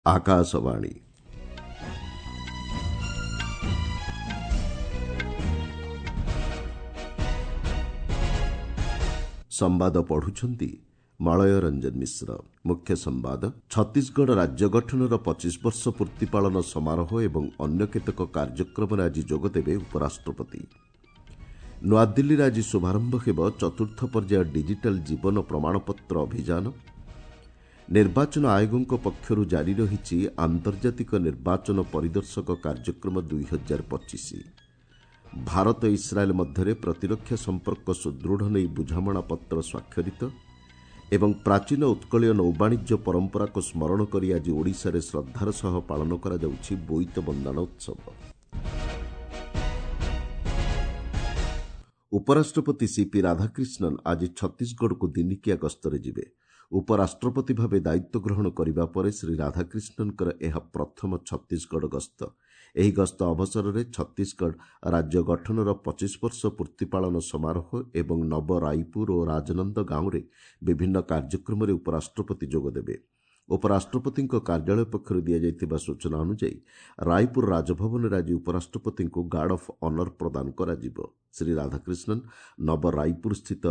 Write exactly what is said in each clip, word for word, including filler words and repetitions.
ଆକାଶବାଣୀ। ସମ୍ବାଦ ପଢୁଛନ୍ତି ମଳୟ ରଞ୍ଜନ ମିଶ୍ର। ମୁଖ୍ୟ ସମ୍ବାଦ। ଛତିଶଗଡ଼ ରାଜ୍ୟ ଗଠନର ପଚିଶ ବର୍ଷ ପୂର୍ତ୍ତି ପାଳନ ସମାରୋହ ଏବଂ ଅନ୍ୟ କେତେକ କାର୍ଯ୍ୟକ୍ରମରେ ଆଜି ଯୋଗଦେବେ ଉପରାଷ୍ଟ୍ରପତି। ନୂଆଦିଲ୍ଲୀରେ ଆଜି ଶୁଭାରମ୍ଭ ହେବ ଚତୁର୍ଥ ପର୍ଯ୍ୟାୟ ଡିଜିଟାଲ ଜୀବନ ପ୍ରମାଣପତ୍ର ଅଭିଯାନ। ନିର୍ବାଚନ ଆୟୋଗଙ୍କ ପକ୍ଷରୁ ଜାରି ରହିଛି ଆନ୍ତର୍ଜାତିକ ନିର୍ବାଚନ ପରିଦର୍ଶକ କାର୍ଯ୍ୟକ୍ରମ ଦୁଇ ହଜାର ପଚିଶ। ଭାରତ ଇସ୍ରାଏଲ୍ ମଧ୍ୟରେ ପ୍ରତିରକ୍ଷା ସମ୍ପର୍କ ସୁଦୃଢ଼ ନେଇ ବୁଝାମଣାପତ୍ର ସ୍ୱାକ୍ଷରିତ ଏବଂ ପ୍ରାଚୀନ ଉତ୍କଳୀୟ ନୌବାଣିଜ୍ୟ ପରମ୍ପରାକୁ ସ୍ମରଣ କରି ଆଜି ଓଡ଼ିଶାରେ ଶ୍ରଦ୍ଧାର ସହ ପାଳନ କରାଯାଉଛି ବୋଇତ ବନ୍ଦାଣ ଉତ୍ସବ। ଉପରାଷ୍ଟ୍ରପତି ସିପି ରାଧାକ୍ରିଷ୍ଣନ୍ ଆଜି ଛତିଶଗଡ଼କୁ ଦିନିକିଆ ଗସ୍ତରେ ଯିବେ। ଉପରାଷ୍ଟ୍ରପତି ଭାବେ ଦାୟିତ୍ୱ ଗ୍ରହଣ କରିବା ପରେ ଶ୍ରୀ ରାଧାକ୍ରିଷ୍ଣନ୍ଙ୍କର ଏହା ପ୍ରଥମ ଛତିଶଗଡ଼ ଗସ୍ତ। ଏହି ଗସ୍ତ ଅବସରରେ ଛତିଶଗଡ଼ ରାଜ୍ୟ ଗଠନର ପଚିଶ ବର୍ଷ ପୂର୍ତ୍ତି ପାଳନ ସମାରୋହ ଏବଂ ନବ ରାୟପୁର ଓ ରାଜନନ୍ଦ ଗାଁରେ ବିଭିନ୍ନ କାର୍ଯ୍ୟକ୍ରମରେ ଉପରାଷ୍ଟ୍ରପତି ଯୋଗଦେବେ। ଉପରାଷ୍ଟ୍ରପତିଙ୍କ କାର୍ଯ୍ୟାଳୟ ପକ୍ଷରୁ ଦିଆଯାଇଥିବା ସୂଚନା ଅନୁଯାୟୀ ରାୟପୁର ରାଜଭବନରେ ଆଜି ଉପରାଷ୍ଟ୍ରପତିଙ୍କୁ ଗାର୍ଡ ଅଫ୍ ଅନର ପ୍ରଦାନ କରାଯିବ। ଶ୍ରୀ ରାଧାକ୍ରିଷ୍ଣନ୍ ନବ ରାୟପୁରସ୍ଥିତ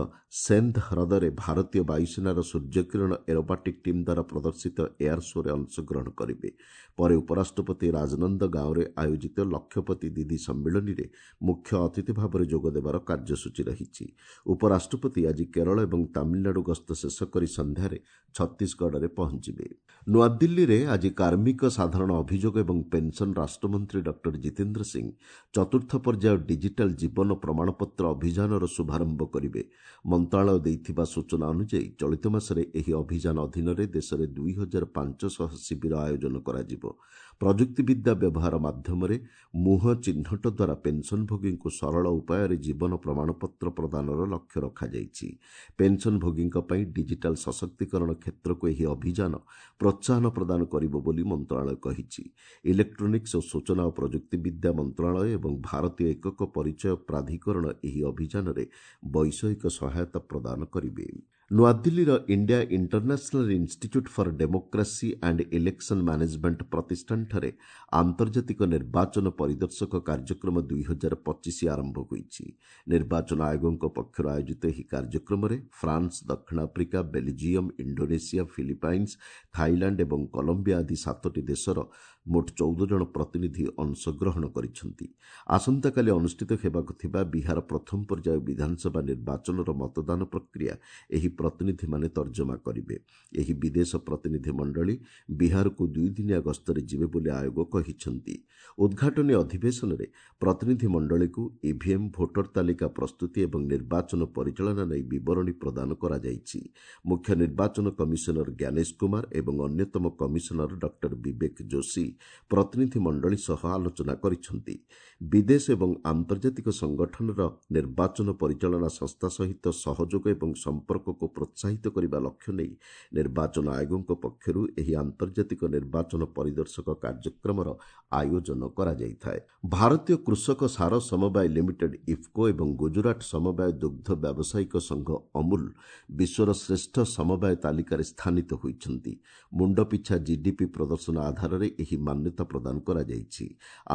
ସେନ୍ଧ ହ୍ରଦରେ ଭାରତୀୟ ବାୟୁସେନାର ସୂର୍ଯ୍ୟକିରଣ ଏରୋବାଟିକ୍ ଟିମ୍ ଦ୍ୱାରା ପ୍ରଦର୍ଶିତ ଏୟାର ଶୋରେ ଅଂଶଗ୍ରହଣ କରିବେ। ପରେ ଉପରାଷ୍ଟ୍ରପତି ରାଜନନ୍ଦ ଗାଁରେ ଆୟୋଜିତ ଲକ୍ଷପତି ଦିଦି ସମ୍ମିଳନୀରେ ମୁଖ୍ୟ ଅତିଥି ଭାବରେ ଯୋଗଦେବାର କାର୍ଯ୍ୟସୂଚୀ ରହିଛି। ଉପରାଷ୍ଟ୍ରପତି ଆଜି କେରଳ ଏବଂ ତାମିଲନାଡୁ ଗସ୍ତ ଶେଷ କରି ସନ୍ଧ୍ୟାରେ ଛତିଶଗଡ଼ରେ ପହଞ୍ଚିବେ। ନୂଆଦିଲ୍ଲୀରେ ଆଜି କାର୍ମିକ, ସାଧାରଣ ଅଭିଯୋଗ ଏବଂ ପେନ୍ସନ୍ ରାଷ୍ଟ୍ରମନ୍ତ୍ରୀ ଡକ୍ଟର ଜିତେନ୍ଦ୍ର ସିଂ ଚତୁର୍ଥ ପର୍ଯ୍ୟାୟ ଡିଜିଟାଲ ଜୀବନ ପ୍ରମାଣପତ୍ର ଅଭିଯାନର ଶୁଭାରମ୍ଭ କରିବେ। ମନ୍ତ୍ରଣାଳୟ ଦେଇଥିବା ସୂଚନା ଅନୁଯାୟୀ ଚଳିତ ମାସରେ ଏହି ଅଭିଯାନ ଅଧୀନରେ ଦେଶରେ ଦୁଇ ହଜାର ପାଞ୍ଚଶହ ଶିବିର ଆୟୋଜନ କରାଯିବ। ପ୍ରଯୁକ୍ତିବିଦ୍ୟା ବ୍ୟବହାର ମାଧ୍ୟମରେ ମୁହଁ ଚିହ୍ନଟ ଦ୍ୱାରା ପେନ୍ସନ୍ଭୋଗୀଙ୍କୁ ସରଳ ଉପାୟରେ ଜୀବନ ପ୍ରମାଣପତ୍ର ପ୍ରଦାନର ଲକ୍ଷ୍ୟ ରଖାଯାଇଛି। ପେନ୍ସନ୍ଭୋଗୀଙ୍କ ପାଇଁ ଡିଜିଟାଲ ସଶକ୍ତିକରଣ କ୍ଷେତ୍ରକୁ ଏହି ଅଭିଯାନ ପ୍ରୋତ୍ସାହନ ପ୍ରଦାନ କରିବ ବୋଲି ମନ୍ତ୍ରଣାଳୟ କହିଛି। ଇଲେକ୍ଟ୍ରୋନିକ୍ସ ଓ ସୂଚନା ଓ ପ୍ରଯୁକ୍ତିବିଦ୍ୟା ମନ୍ତ୍ରଣାଳୟ ଏବଂ ଭାରତୀୟ ଏକକ ପରିଚୟ ପ୍ରାଧିକରଣ ଏହି ଅଭିଯାନରେ ବୈଷୟିକ ସହାୟତା ପ୍ରଦାନ କରିବେ। ନୂଆଦିଲ୍ଲୀର India International Institute for Democracy and Election Management ପ୍ରତିଷ୍ଠାନଠାରେ ଆନ୍ତର୍ଜାତିକ ନିର୍ବାଚନ ପରିଦର୍ଶକ କାର୍ଯ୍ୟକ୍ରମ ଦୁଇ ହଜାର ପଚିଶ ଆରମ୍ଭ ହୋଇଛି। ନିର୍ବାଚନ ଆୟୋଗଙ୍କ ପକ୍ଷରୁ ଆୟୋଜିତ ଏହି କାର୍ଯ୍ୟକ୍ରମରେ ଫ୍ରାନ୍ସ, ଦକ୍ଷିଣ Africa, Belgium, Indonesia, Philippines, Thailand ଏବଂ କଲମ୍ବିଆ ଆଦି ସାତୋଟି ଦେଶର ମୋଟ ଚଉଦ ଜଣ ପ୍ରତିନିଧି ଅଂଶଗ୍ରହଣ କରିଛନ୍ତି। ଆସନ୍ତାକାଲି ଅନୁଷ୍ଠିତ ହେବାକୁ ଥିବା ବିହାର ପ୍ରଥମ ପର୍ଯ୍ୟାୟ ବିଧାନସଭା ନିର୍ବାଚନର ମତଦାନ ପ୍ରକ୍ରିୟା ଏହି ପ୍ରତିନିଧିମାନେ ତର୍ଜମା କରିବେ। ଏହି ବିଦେଶ ପ୍ରତିନିଧି ମଣ୍ଡଳୀ ବିହାରକୁ ଦୁଇଦିନିଆ ଗସ୍ତରେ ଯିବେ ବୋଲି ଆୟୋଗ କହିଛନ୍ତି। ଉଦ୍ଘାଟନୀ ଅଧିବେଶନରେ ପ୍ରତିନିଧି ମଣ୍ଡଳୀକୁ ଇଭିଏମ୍, ଭୋଟର ତାଲିକା ପ୍ରସ୍ତୁତି ଏବଂ ନିର୍ବାଚନ ପରିଚାଳନା ନେଇ ବିବରଣୀ ପ୍ରଦାନ କରାଯାଇଛି। ମୁଖ୍ୟ ନିର୍ବାଚନ କମିଶନର ଜ୍ଞାନେଶ କୁମାର ଏବଂ ଅନ୍ୟତମ କମିଶନର ଡକ୍ଟର ବିବେକ ଯୋଶୀ ପ୍ରତିନିଧି ମଣ୍ଡଳୀ ସହ ଆଲୋଚନା କରିଛନ୍ତି। ବିଦେଶ ଏବଂ ଆନ୍ତର୍ଜାତିକ ସଂଗଠନର ନିର୍ବାଚନ ପରିଚାଳନା ସଂସ୍ଥା ସହିତ ସହଯୋଗ ଏବଂ ସମ୍ପର୍କକୁ ପ୍ରୋତ୍ସାହିତ କରିବା ଲକ୍ଷ୍ୟ ନେଇ ନିର୍ବାଚନ ଆୟୋଗଙ୍କ ପକ୍ଷରୁ ଏହି ଆନ୍ତର୍ଜାତିକ ନିର୍ବାଚନ ପରିଦର୍ଶକ କାର୍ଯ୍ୟକ୍ରମର ଆୟୋଜନ କରାଯାଇଥାଏ। ଭାରତୀୟ କୃଷକ ସାର ସମବାୟ ଲିମିଟେଡ୍ ଇଫ୍କୋ ଏବଂ ଗୁଜୁରାଟ ସମବାୟ ଦୁଗ୍ଧ ବ୍ୟବସାୟିକ ସଂଘ ଅମୁଲ ବିଶ୍ୱର ଶ୍ରେଷ୍ଠ ସମବାୟ ତାଲିକାରେ ସ୍ଥାନିତ ହୋଇଛନ୍ତି। ମୁଣ୍ଡପିଛା ଜିଡିପି ପ୍ରଦର୍ଶନ ଆଧାରରେ ଏହି ମାନ୍ୟତା ପ୍ରଦାନ କରାଯାଇଛି।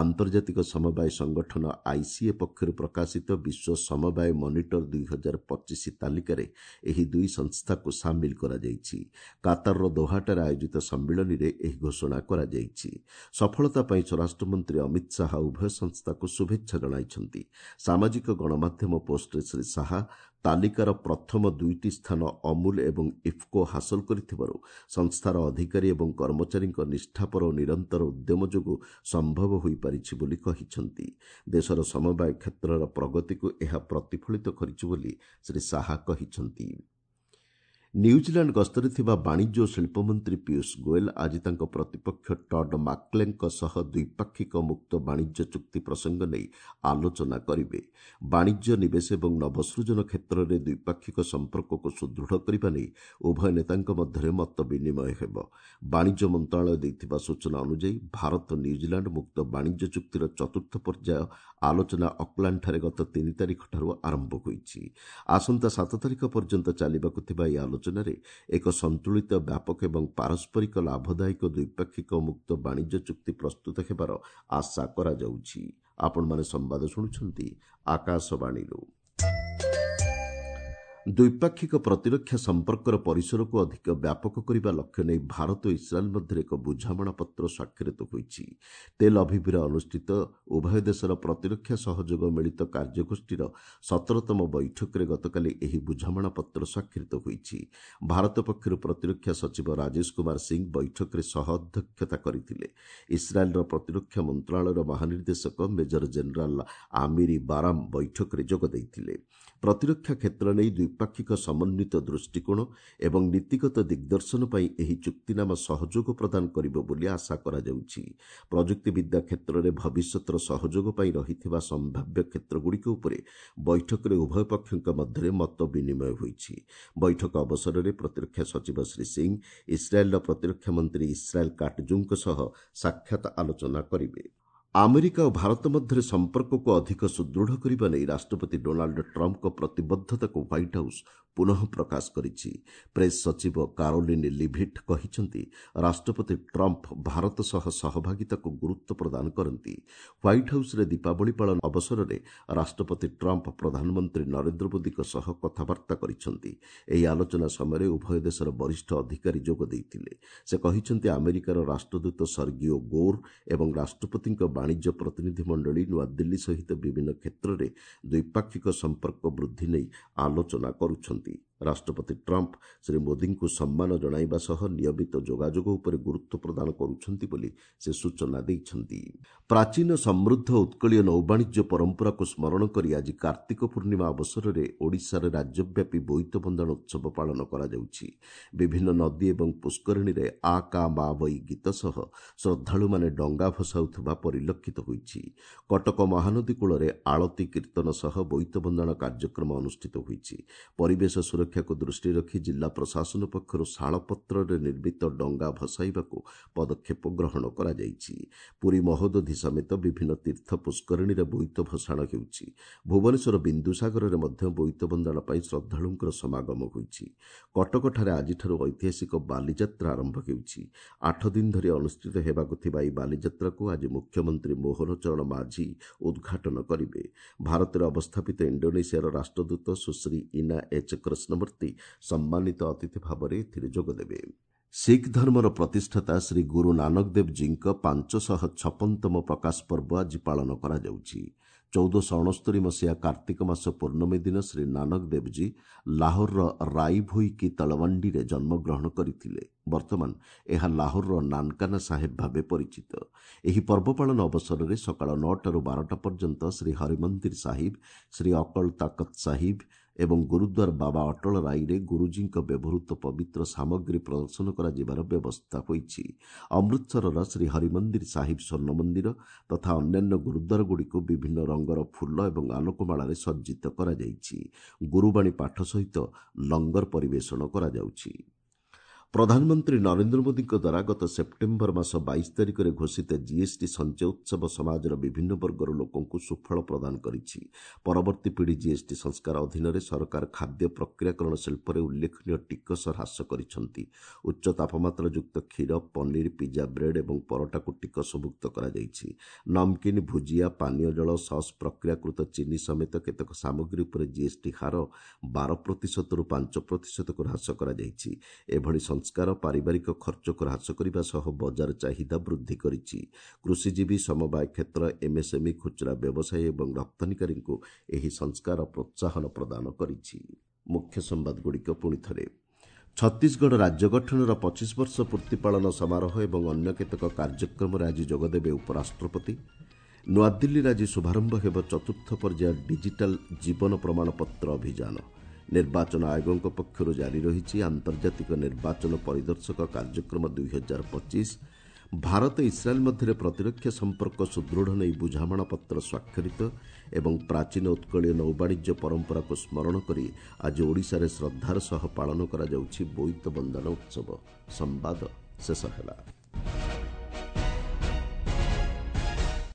ଆନ୍ତର୍ଜାତିକ ସମବାୟ ସଂଗଠନ ଆଇସିଏ ପକ୍ଷରୁ ପ୍ରକାଶିତ ବିଶ୍ୱ ସମବାୟ ମନିଟର ଦୁଇ ହଜାର ପଚିଶ ତାଲିକାରେ ଏହି ଦୁଇ ସଂସ୍ଥାକୁ ସାମିଲ କରାଯାଇଛି। କାତାରର ଦୋହାଠାରେ ଆୟୋଜିତ ସମ୍ମିଳନୀରେ ଏହି ଘୋଷଣା କରାଯାଇଛି। ସଫଳତା ପାଇଁ ସ୍ୱରାଷ୍ଟ୍ରମନ୍ତ୍ରୀ ଅମିତ ଶାହା ଉଭୟ ସଂସ୍ଥାକୁ ଶୁଭେଚ୍ଛା ଜଣାଇଛନ୍ତି। ସାମାଜିକ ଗଣମାଧ୍ୟମ ପୋଷ୍ଟରେ ଶ୍ରୀ ଶାହା ତାଲିକାର ପ୍ରଥମ ଦୁଇଟି ସ୍ଥାନ ଅମୁଲ ଏବଂ ଇଫ୍କୋ ହାସଲ କରିଥିବାରୁ ସଂସ୍ଥାର ଅଧିକାରୀ ଏବଂ କର୍ମଚାରୀଙ୍କ ନିଷ୍ଠାପର ଓ ନିରନ୍ତର ଉଦ୍ୟମ ଯୋଗୁଁ ସମ୍ଭବ ହୋଇପାରିଛି ବୋଲି କହିଛନ୍ତି। ଦେଶର ସମବାୟ କ୍ଷେତ୍ରର ପ୍ରଗତିକୁ ଏହା ପ୍ରତିଫଳିତ କରିଛି ବୋଲି ଶ୍ରୀ ଶାହା କହିଛନ୍ତି। ନ୍ୟୁଜିଲାଣ୍ଡ ଗସ୍ତରେ ଥିବା ବାଣିଜ୍ୟ ଓ ଶିଳ୍ପମନ୍ତ୍ରୀ ପୀୟୁଷ ଗୋଏଲ ଆଜି ତାଙ୍କ ପ୍ରତିପକ୍ଷ ଟଡ୍ ମାକ୍ଲେଙ୍କ ସହ ଦ୍ୱିପାକ୍ଷିକ ମୁକ୍ତ ବାଣିଜ୍ୟ ଚୁକ୍ତି ପ୍ରସଙ୍ଗ ନେଇ ଆଲୋଚନା କରିବେ। ବାଣିଜ୍ୟ, ନିବେଶ ଏବଂ ନବସୃଜନ କ୍ଷେତ୍ରରେ ଦ୍ୱିପାକ୍ଷିକ ସମ୍ପର୍କକୁ ସୁଦୃଢ଼ କରିବା ନେଇ ଉଭୟ ନେତାଙ୍କ ମଧ୍ୟରେ ମତ ବିନିମୟ ହେବ। ବାଣିଜ୍ୟ ମନ୍ତ୍ରଣାଳୟ ଦେଇଥିବା ସୂଚନା ଅନୁଯାୟୀ ଭାରତ ନ୍ୟୁଜିଲାଣ୍ଡ ମୁକ୍ତ ବାଣିଜ୍ୟ ଚୁକ୍ତିର ଚତୁର୍ଥ ପର୍ଯ୍ୟାୟ ଆଲୋଚନା ଅକଲାଣ୍ଡଠାରେ ଗତ ତିନି ତାରିଖଠାରୁ ଆରମ୍ଭ ହୋଇଛି। ଆସନ୍ତା ସାତ ତାରିଖ ପର୍ଯ୍ୟନ୍ତ ଚାଲିବାକୁ ଥିବା ଏହି ଆଲୋଚନା ଆଲୋଚନାରେ ଏକ ସନ୍ତୁଳିତ, ବ୍ୟାପକ ଏବଂ ପାରସ୍ପରିକ ଲାଭଦାୟକ ଦ୍ୱିପାକ୍ଷିକ ମୁକ୍ତ ବାଣିଜ୍ୟ ଚୁକ୍ତି ପ୍ରସ୍ତୁତ ହେବାର ଆଶା କରାଯାଉଛି। ଆପଣମାନେ ସମ୍ବାଦ ଶୁଣୁଛନ୍ତି ଆକାଶବାଣୀରୁ। ଦ୍ୱିପାକ୍ଷିକ ପ୍ରତିରକ୍ଷା ସମ୍ପର୍କର ପରିସରକୁ ଅଧିକ ବ୍ୟାପକ କରିବା ଲକ୍ଷ୍ୟ ନେଇ ଭାରତ ଓ ଇସ୍ରାଏଲ୍ ମଧ୍ୟରେ ଏକ ବୁଝାମଣାପତ୍ର ସ୍ୱାକ୍ଷରିତ ହୋଇଛି। ତେଲ୍ ଅଭିଭ୍ରେ ଅନୁଷ୍ଠିତ ଉଭୟ ଦେଶର ପ୍ରତିରକ୍ଷା ସହଯୋଗ ମିଳିତ କାର୍ଯ୍ୟଗୋଷ୍ଠୀର ସତରତମ ବୈଠକରେ ଗତକାଲି ଏହି ବୁଝାମଣାପତ୍ର ସ୍ୱାକ୍ଷରିତ ହୋଇଛି। ଭାରତ ପକ୍ଷରୁ ପ୍ରତିରକ୍ଷା ସଚିବ ରାଜେଶ କୁମାର ସିଂ ବୈଠକରେ ସହ ଅଧ୍ୟକ୍ଷତା କରିଥିଲେ। ଇସ୍ରାଏଲ୍ର ପ୍ରତିରକ୍ଷା ମନ୍ତ୍ରଣାଳୟର ମହାନିର୍ଦ୍ଦେଶକ ମେଜର ଜେନେରାଲ୍ ଆମିରି ବାରାମ ବୈଠକରେ ଯୋଗ ଦେଇଥିଲେ। ପ୍ରତିରକ୍ଷା କ୍ଷେତ୍ର ନେଇ ଦ୍ୱିପାକ୍ଷିକ ସମନ୍ୱିତ ଦୃଷ୍ଟିକୋଣ ଏବଂ ନୀତିଗତ ଦିଗ୍ଦର୍ଶନ ପାଇଁ ଏହି ଚୁକ୍ତିନାମା ସହଯୋଗ ପ୍ରଦାନ କରିବ ବୋଲି ଆଶା କରାଯାଉଛି। ପ୍ରଯୁକ୍ତିବିଦ୍ୟା କ୍ଷେତ୍ରରେ ଭବିଷ୍ୟତର ସହଯୋଗ ପାଇଁ ରହିଥିବା ସମ୍ଭାବ୍ୟ କ୍ଷେତ୍ରଗୁଡ଼ିକ ଉପରେ ବୈଠକରେ ଉଭୟ ପକ୍ଷଙ୍କ ମଧ୍ୟରେ ମତ ବିନିମୟ ହୋଇଛି। ବୈଠକ ଅବସରରେ ପ୍ରତିରକ୍ଷା ସଚିବ ଶ୍ରୀ ସିଂ ଇସ୍ରାଏଲ୍ର ପ୍ରତିରକ୍ଷା ମନ୍ତ୍ରୀ ଇସ୍ରାଏଲ୍ କାଟ୍ଜୁଙ୍କ ସହ ସାକ୍ଷାତ ଆଲୋଚନା କରିବେ। ଆମେରିକା ଓ ଭାରତ ମଧ୍ୟରେ ସମ୍ପର୍କକୁ ଅଧିକ ସୁଦୃଢ଼ କରିବା ନେଇ ରାଷ୍ଟ୍ରପତି ଡୋନାଲ୍ଡ ଟ୍ରମ୍ପଙ୍କ ପ୍ରତିବଦ୍ଧତାକୁ ହ୍ୱାଇଟ୍ ହାଉସ୍ ପୁନଃ ପ୍ରକାଶ କରିଛି। ପ୍ରେସ୍ ସଚିବ କାରୋଲିନ୍ ଲିଭିଟ୍ କହିଛନ୍ତି, ରାଷ୍ଟ୍ରପତି ଟ୍ରମ୍ପ ଭାରତ ସହ ସହଭାଗିତାକୁ ଗୁରୁତ୍ୱ ପ୍ରଦାନ କରନ୍ତି। ହ୍ୱାଇଟ୍ ହାଉସ୍ରେ ଦୀପାବଳି ପାଳନ ଅବସରରେ ରାଷ୍ଟ୍ରପତି ଟ୍ରମ୍ପ ପ୍ରଧାନମନ୍ତ୍ରୀ ନରେନ୍ଦ୍ର ମୋଦିଙ୍କ ସହ କଥାବାର୍ତ୍ତା କରିଛନ୍ତି। ଏହି ଆଲୋଚନା ସମୟରେ ଉଭୟ ଦେଶର ବରିଷ୍ଠ ଅଧିକାରୀ ଯୋଗ ଦେଇଥିଲେ। ସେ କହିଛନ୍ତି, ଆମେରିକାର ରାଷ୍ଟ୍ରଦୂତ ସର୍ଗିଓ ଗୋର୍ ଏବଂ ରାଷ୍ଟ୍ରପତିଙ୍କ ବାଣିଜ୍ୟ ପ୍ରତିନିଧିମଣ୍ଡଳୀ ନୂଆଦିଲ୍ଲୀ ସହିତ ବିଭିନ୍ନ କ୍ଷେତ୍ରରେ ଦ୍ୱିପାକ୍ଷିକ ସମ୍ପର୍କ ବୃଦ୍ଧି ନେଇ ଆଲୋଚନା କରୁଛନ୍ତି। ରାଷ୍ଟ୍ରପତି ଟ୍ରମ୍ପ ଶ୍ରୀ ମୋଦିଙ୍କୁ ସମ୍ମାନ ଜଣାଇବା ସହ ନିୟମିତ ଯୋଗାଯୋଗ ଉପରେ ଗୁରୁତ୍ୱ ପ୍ରଦାନ କରୁଛନ୍ତି ବୋଲି ସେ ସୂଚନା ଦେଇଛନ୍ତି। ପ୍ରାଚୀନ ସମୃଦ୍ଧ ଉତ୍କଳୀୟ ନୌବାଣିଜ୍ୟ ପରମ୍ପରାକୁ ସ୍ମରଣ କରି ଆଜି କାର୍ତ୍ତିକ ପୂର୍ଣ୍ଣିମା ଅବସରରେ ଓଡ଼ିଶାରେ ରାଜ୍ୟବ୍ୟାପୀ ବୋଇତ ବନ୍ଦାଣ ଉତ୍ସବ ପାଳନ କରାଯାଉଛି। ବିଭିନ୍ନ ନଦୀ ଏବଂ ପୁଷ୍କରିଣୀରେ ଆ କା ମା ବଇ ଗୀତ ସହ ଶ୍ରଦ୍ଧାଳୁମାନେ ଡଙ୍ଗା ଭସାଉଥିବା ପରିଲକ୍ଷିତ ହୋଇଛି। କଟକ ମହାନଦୀ କୂଳରେ ଆଳତୀ କୀର୍ତ୍ତନ ସହ ବୋଇତ ବନ୍ଦାଣ କାର୍ଯ୍ୟକ୍ରମ ଅନୁଷ୍ଠିତ ହୋଇଛି। ପରିବେଶ ସୁରକ୍ଷାକୁ ଦୃଷ୍ଟିରେ ରଖି ଜିଲ୍ଲା ପ୍ରଶାସନ ପକ୍ଷରୁ ଶାଳପତ୍ରରେ ନିର୍ମିତ ଡଙ୍ଗା ଭସାଇବାକୁ ପଦକ୍ଷେପ ଗ୍ରହଣ କରାଯାଇଛି। ପୁରୀ ମହୋଦଧି ସମେତ ବିଭିନ୍ନ ତୀର୍ଥ ପୁଷ୍କରିଣୀରେ ବୋଇତ ଭସାଣ ହେଉଛି। ଭୁବନେଶ୍ୱର ବିନ୍ଦୁସାଗରରେ ମଧ୍ୟ ବୋଇତ ବନ୍ଦାଣ ପାଇଁ ଶ୍ରଦ୍ଧାଳୁଙ୍କର ସମାଗମ ହୋଇଛି। କଟକଠାରେ ଆଜିଠାରୁ ଐତିହାସିକ ବାଲିଯାତ୍ରା ଆରମ୍ଭ ହେଉଛି। ଆଠ ଦିନ ଧରି ଅନୁଷ୍ଠିତ ହେବାକୁ ଥିବା ଏହି ବାଲିଯାତ୍ରାକୁ ଆଜି ମୁଖ୍ୟମନ୍ତ୍ରୀ ମୋହନ ଚରଣ ମାଝୀ ଉଦ୍ଘାଟନ କରିବେ। ଭାରତରେ ଅବସ୍ଥାପିତ ଇଣ୍ଡୋନେସିଆର ରାଷ୍ଟ୍ରଦୂତ ସୁଶ୍ରୀ ଇନା ଏଚ୍ କୃଷ୍ଣମୂର୍ତ୍ତି ସମ୍ମାନିତ ଅତିଥି ଭାବରେ ଏଥିରେ ଯୋଗଦେବେ। ଶିଖ୍ ଧର୍ମର ପ୍ରତିଷ୍ଠାତା ଶ୍ରୀ ଗୁରୁ ନାନକ ଦେବଜୀଙ୍କ ପାଞ୍ଚଶହ ଛପନତମ ପ୍ରକାଶ ପର୍ବ ଆଜି ପାଳନ କରାଯାଉଛି। ଚଉଦଶହ ଅଣସ୍ତରୀ ମସିହା କାର୍ତ୍ତିକ ମାସ ପୂର୍ଣ୍ଣମୀ ଦିନ ଶ୍ରୀ ନାନକ ଦେବଜୀ ଲାହୋରର ରାଇଭୋଇ କି ତଳୱଣ୍ଡିରେ ଜନ୍ମଗ୍ରହଣ କରିଥିଲେ। ବର୍ତ୍ତମାନ ଏହା ଲାହୋରର ନାନକାନା ସାହେବ ଭାବେ ପରିଚିତ। ଏହି ପର୍ବ ପାଳନ ଅବସରରେ ସକାଳ ନଅଟାରୁ ବାରଟା ପର୍ଯ୍ୟନ୍ତ ଶ୍ରୀ ହରିମନ୍ଦିର ସାହିବ, ଶ୍ରୀ ଅକଳ ତାକତ ସାହିବ ଏବଂ ଗୁରୁଦ୍ୱାର ବାବା ଅଟଳ ରାଇରେ ଗୁରୁଜୀଙ୍କ ବ୍ୟବହୃତ ପବିତ୍ର ସାମଗ୍ରୀ ପ୍ରଦର୍ଶନ କରାଯିବାର ବ୍ୟବସ୍ଥା ହୋଇଛି। ଅମୃତସରର ଶ୍ରୀ ହରିମନ୍ଦିର ସାହିବ ସ୍ୱର୍ଣ୍ଣ ମନ୍ଦିର ତଥା ଅନ୍ୟାନ୍ୟ ଗୁରୁଦ୍ୱାରଗୁଡ଼ିକୁ ବିଭିନ୍ନ ରଙ୍ଗର ଫୁଲ ଏବଂ ଆଲୋକମାଳାରେ ସଜ୍ଜିତ କରାଯାଇଛି। ଗୁରୁବାଣୀ ପାଠ ସହିତ ଲଙ୍ଗର ପରିବେଷଣ କରାଯାଉଛି। ପ୍ରଧାନମନ୍ତ୍ରୀ ନରେନ୍ଦ୍ର ମୋଦିଙ୍କ ଦ୍ୱାରା ଗତ ସେପ୍ଟେମ୍ବର ମାସ ବାଇଶ ତାରିଖରେ ଘୋଷିତ ଜିଏସ୍ଟି ସଞ୍ଚୟ ଉତ୍ସବ ସମାଜର ବିଭିନ୍ନ ବର୍ଗର ଲୋକଙ୍କୁ ସୁଫଳ ପ୍ରଦାନ କରିଛି। ପରବର୍ତ୍ତୀ ପିଢ଼ି ଜିଏସ୍ଟି ସଂସ୍କାର ଅଧୀନରେ ସରକାର ଖାଦ୍ୟ ପ୍ରକ୍ରିୟାକରଣ ଶିଳ୍ପରେ ଉଲ୍ଲେଖନୀୟ ଟିକସ ହ୍ରାସ କରିଛନ୍ତି। ଉଚ୍ଚ ତାପମାତ୍ରାଯୁକ୍ତ କ୍ଷୀର, ପନିର, ପିଜା ବ୍ରେଡ୍ ଏବଂ ପରଟାକୁ ଟିକସମୁକ୍ତ କରାଯାଇଛି। ନମକିନ୍, ଭୁଜିଆ, ପାନୀୟ ଜଳ, ସସ୍, ପ୍ରକ୍ରିୟାକୃତ ଚିନି ସମେତ କେତେକ ସାମଗ୍ରୀ ଉପରେ ଜିଏସ୍ଟି ହାର ବାର ପ୍ରତିଶତରୁ ପାଞ୍ଚ ପ୍ରତିଶତକୁ ହ୍ରାସ କରାଯାଇଛି। ଏଭଳି ସଂସ୍କାର ପାରିବାରିକ ଖର୍ଚ୍ଚକୁ ହ୍ରାସ କରିବା ସହ ବଜାର ଚାହିଦା ବୃଦ୍ଧି କରିଛି। କୃଷିଜୀବୀ, ସମବାୟ କ୍ଷେତ୍ର, ଏମ୍ଏସ୍ଏମ୍ଇ, ଖୁଚୁରା ବ୍ୟବସାୟୀ ଏବଂ ରପ୍ତାନିକାରୀଙ୍କୁ ଏହି ସଂସ୍କାର ପ୍ରୋତ୍ସାହନ ପ୍ରଦାନ କରିଛି। ମୁଖ୍ୟ ସମ୍ବାଦଗୁଡ଼ିକ ପୁଣି ଥରେ। ଛତିଶଗଡ଼ ରାଜ୍ୟ ଗଠନର ପଚିଶ ବର୍ଷ ପୂର୍ତ୍ତି ପାଳନ ସମାରୋହ ଏବଂ ଅନ୍ୟ କେତେକ କାର୍ଯ୍ୟକ୍ରମରେ ଆଜି ଯୋଗଦେବେ ଉପରାଷ୍ଟ୍ରପତି। ନୂଆଦିଲ୍ଲୀରେ ଆଜି ଶୁଭାରମ୍ଭ ହେବ ଚତୁର୍ଥ ପର୍ଯ୍ୟାୟ ଡିଜିଟାଲ ଜୀବନ ପ୍ରମାଣପତ୍ର ଅଭିଯାନ। ନିର୍ବାଚନ ଆୟୋଗଙ୍କ ପକ୍ଷରୁ ଜାରି ରହିଛି ଆନ୍ତର୍ଜାତିକ ନିର୍ବାଚନ ପରିଦର୍ଶକ କାର୍ଯ୍ୟକ୍ରମ ଦୁଇ ହଜାର ପଚିଶ। ଭାରତ ଇସ୍ରାଏଲ୍ ମଧ୍ୟରେ ପ୍ରତିରକ୍ଷା ସମ୍ପର୍କ ସୁଦୃଢ଼ ନେଇ ବୁଝାମଣାପତ୍ର ସ୍ୱାକ୍ଷରିତ ଏବଂ ପ୍ରାଚୀନ ଉତ୍କଳୀୟ ନୌବାଣିଜ୍ୟ ପରମ୍ପରାକୁ ସ୍ମରଣ କରି ଆଜି ଓଡ଼ିଶାରେ ଶ୍ରଦ୍ଧାର ସହ ପାଳନ କରାଯାଉଛି ବୋଇତ ବନ୍ଦାଣ ଉତ୍ସବ। ସମ୍ବାଦ ଶେଷ ହେଲା।